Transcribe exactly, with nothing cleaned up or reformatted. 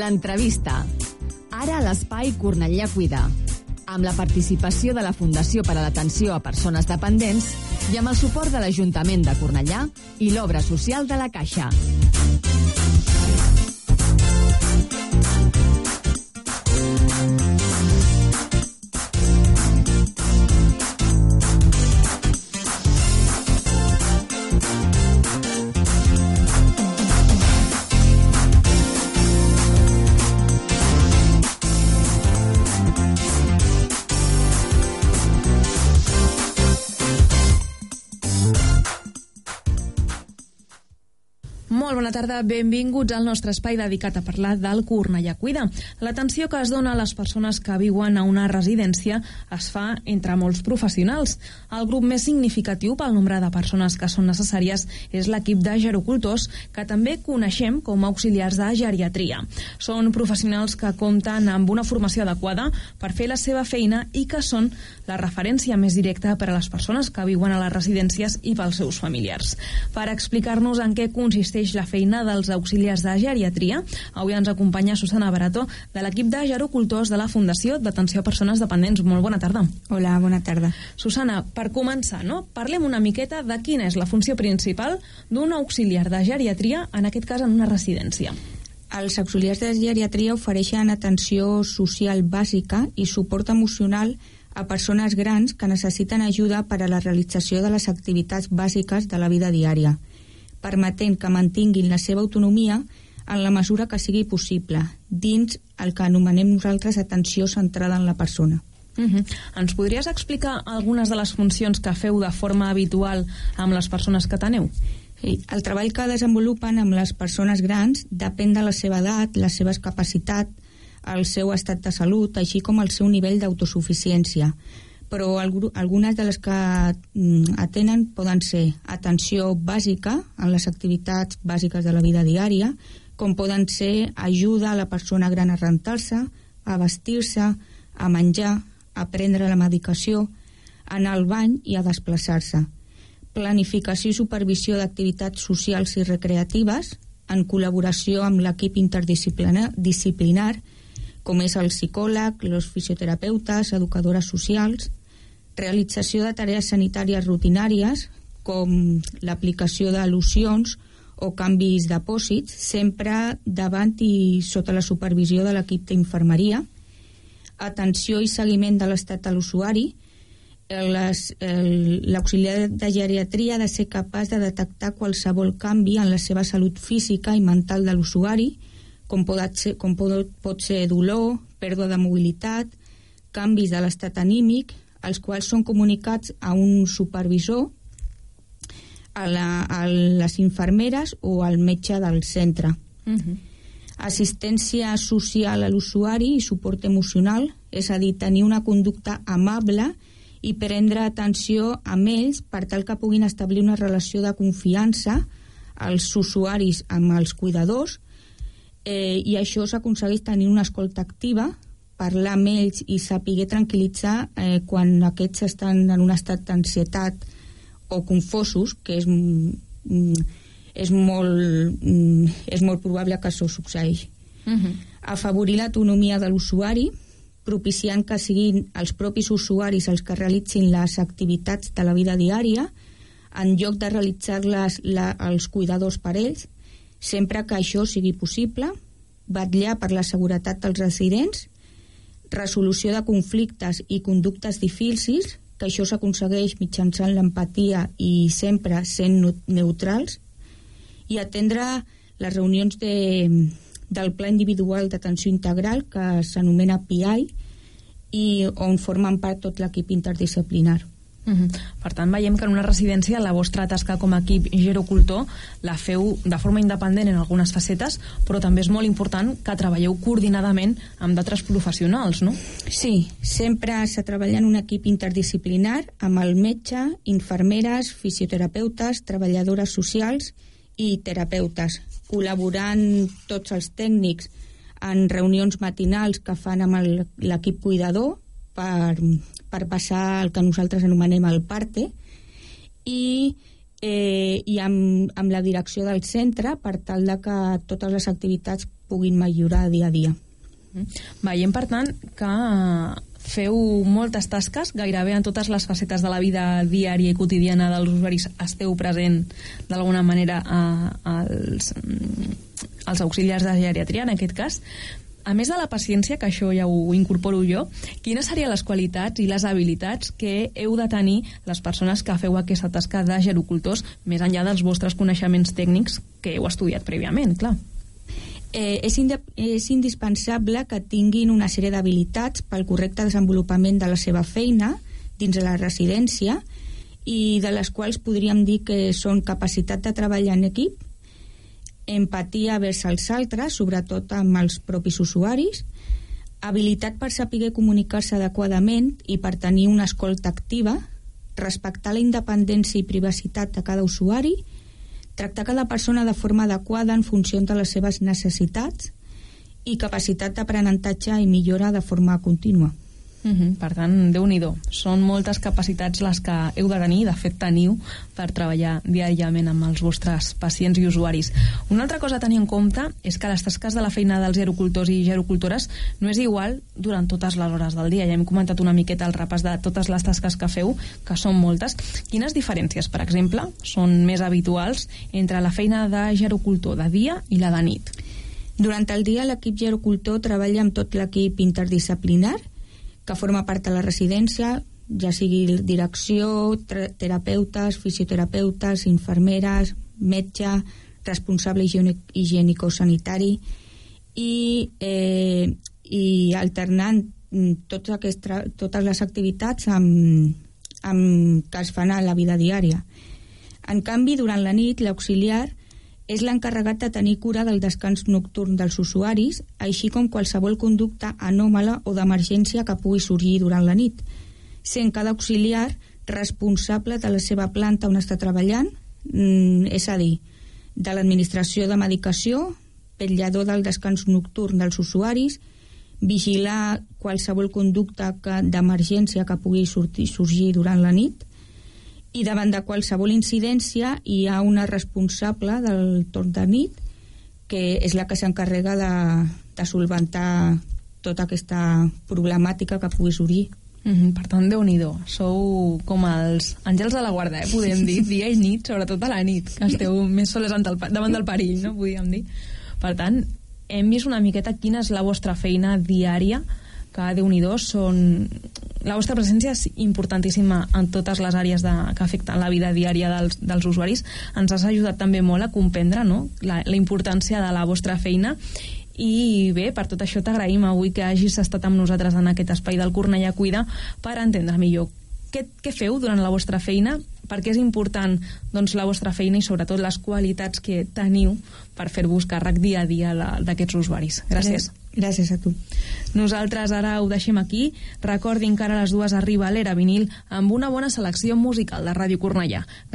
L'entrevista. Ara a l'Espai Cornellà Cuida, amb la participació de la Fundació per a l'Atenció a Persones Dependents i amb el suport de l'Ajuntament de Cornellà i l'Obra Social de la Caixa. Molt bona tarda, benvinguts al nostre espai dedicat a parlar del Cornellà Cuida. L'atenció que es dona a les persones que viuen a una residència es fa entre molts professionals. El grup més significatiu pel nombre de persones que són necessàries és l'equip de gerocultors, que també coneixem com a auxiliars de geriatria. Són professionals que compten amb una formació adequada per fer la seva feina i que són la referència més directa per a les persones que viuen a les residències i pels seus familiars. Per explicar-nos en què consisteix la feina dels auxiliars de geriatria, avui ens acompanya Susana Barato, de l'equip de gerocultors de la Fundació d'Atenció a Persones Dependents. Molt bona tarda. Hola, bona tarda. Susana, per començar, no? Parlem una miqueta de quina és la funció principal d'un auxiliar de geriatria, en aquest cas en una residència. Els auxiliars de geriatria ofereixen atenció social bàsica i suport emocional a persones grans que necessiten ajuda per a la realització de les activitats bàsiques de la vida diària, permetent que mantinguin la seva autonomia en la mesura que sigui possible, dins el que anomenem nosaltres atenció centrada en la persona. Uh-huh. Ens podries explicar algunes de les funcions que feu de forma habitual amb les persones que teneu? Sí, el treball que desenvolupen amb les persones grans depèn de la seva edat, les seves capacitats, el seu estat de salut, així com el seu nivell d'autosuficiència. Però algunes de les que atenen poden ser atenció bàsica en les activitats bàsiques de la vida diària, com poden ser ajuda a la persona gran a rentar-se, a vestir-se, a menjar, a prendre la medicació, a anar al bany i a desplaçar-se. Planificació i supervisió d'activitats socials i recreatives en col·laboració amb l'equip interdisciplinar, com és el psicòleg, els fisioterapeutes, educadores socials, realització de tarees sanitàries rutinàries, com l'aplicació de locions o canvis d'apòsits, sempre davant i sota la supervisió de l'equip d'infermeria, atenció i seguiment de l'estat de l'usuari. L'auxiliar de geriatria ha de ser capaç de detectar qualsevol canvi en la seva salut física i mental de l'usuari, com pot ser, com pot, pot ser dolor, pèrdua de mobilitat, canvis de l'estat anímic, els quals són comunicats a un supervisor, a, la, a les infermeres o al metge del centre. Uh-huh. Assistència social a l'usuari i suport emocional, és a dir, tenir una conducta amable i prendre atenció amb ells per tal que puguin establir una relació de confiança als usuaris amb els cuidadors, eh, i això s'aconsegueix tenir una escolta activa, parlar amb ells i saber tranquil·litzar eh, quan aquests estan en un estat d'ansietat o confosos, que és, mm, és, molt, mm, és molt probable que això succeeixi. Uh-huh. Afavorir l'autonomia de l'usuari, propiciant que siguin els propis usuaris els que realitzin les activitats de la vida diària, en lloc de realitzar-les la, els cuidadors per ells, sempre que això sigui possible, vetllar per la seguretat dels residents, resolució de conflictes i conductes difícils, que això s'aconsegueix mitjançant l'empatia i sempre sent neutrals, i atendre les reunions de, del Pla Individual d'Atenció Integral, que s'anomena P I, i on formen part tot l'equip interdisciplinar. Uh-huh. Per tant, veiem que en una residència la vostra tasca com a equip gerocultor la feu de forma independent en algunes facetes, però també és molt important que treballeu coordinadament amb d'altres professionals, no? Sí, sempre s'ha treballat en un equip interdisciplinar amb el metge, infermeres, fisioterapeutes, treballadores socials i terapeutes, col·laborant tots els tècnics en reunions matinals que fan amb l'equip cuidador per, per passar el que nosaltres anomenem el parte, i, eh, i amb, amb la direcció del centre per tal de que totes les activitats puguin millorar dia a dia. Veiem, per tant, que feu moltes tasques, gairebé en totes les facetes de la vida diària i quotidiana dels usuaris esteu present d'alguna manera a, als, als auxiliars de geriatria, en aquest cas. A més de la paciència, que això ja ho incorporo jo, quines serien les qualitats i les habilitats que heu de tenir les persones que feu aquesta tasca de gerocultors, més enllà dels vostres coneixements tècnics que heu estudiat prèviament, clar? Eh, és, és indispensable que tinguin una sèrie d'habilitats pel correcte desenvolupament de la seva feina dins de la residència i de les quals podríem dir que són capacitat de treballar en equip, empatia vers els altres, sobretot amb els propis usuaris, habilitat per saber comunicar-se adequadament i per tenir una escolta activa, respectar la independència i privacitat de cada usuari, tractar cada persona de forma adequada en funció de les seves necessitats i capacitat d'aprenentatge i millora de forma contínua. Uh-huh. Per tant, Déu-n'hi-do, són moltes capacitats les que heu de tenir, de fet teniu, per treballar diàriament amb els vostres pacients i usuaris. Una altra cosa a tenir en compte és que les tasques de la feina dels gerocultors i gerocultores no és igual durant totes les hores del dia. Ja hem comentat una miqueta el repàs de totes les tasques que feu, que són moltes. Quines diferències, per exemple, són més habituals entre la feina de gerocultor de dia i la de nit? Durant el dia l'equip gerocultor treballa amb tot l'equip interdisciplinar que forma part de la residència, ja sigui direcció, terapeutes, fisioterapeutes, infermeres, metge, responsable higiènico-sanitari i, eh, i alternant tots aquest, totes les activitats amb, amb, que es fan a la vida diària. En canvi, durant la nit, l'auxiliar és l'encarregat de tenir cura del descans nocturn dels usuaris, així com qualsevol conducta anòmala o d'emergència que pugui sorgir durant la nit, sent cada auxiliar responsable de la seva planta on està treballant, és a dir, de l'administració de medicació, vetllador del descans nocturn dels usuaris, vigilar qualsevol conducta d'emergència que pugui sortir, sorgir durant la nit, i davant de qualsevol incidència hi ha una responsable del torn de nit que és la que s'encarrega de, de solventar tota aquesta problemàtica que pugui sorgir. Mm-hmm. Per tant, Déu-n'hi-do, sou com els àngels de la guarda, eh? Podem dir, dia i nit, sobretot a la nit, que esteu més soles davant del perill, no? Podríem dir. Per tant, hem vist una miqueta quina és la vostra feina diària, que Déu-n'hi-do, són... La vostra presència és importantíssima en totes les àrees de, que afecten la vida diària dels, dels usuaris. Ens has ajudat també molt a comprendre, no?, la, la importància de la vostra feina. I bé, per tot això t'agraïm avui que hagis estat amb nosaltres en aquest espai del Cornellà Cuida per entendre millor què, què feu durant la vostra feina, per què és important, doncs, la vostra feina i sobretot les qualitats que teniu per fer-vos càrrec dia a dia d'aquests usuaris. Gràcies. Gràcies a tu. Nosaltres ara ho deixem aquí. Recordin que ara a les dues arriba l'Era Vinil amb una bona selecció musical de Ràdio Cornellà. Gràcies.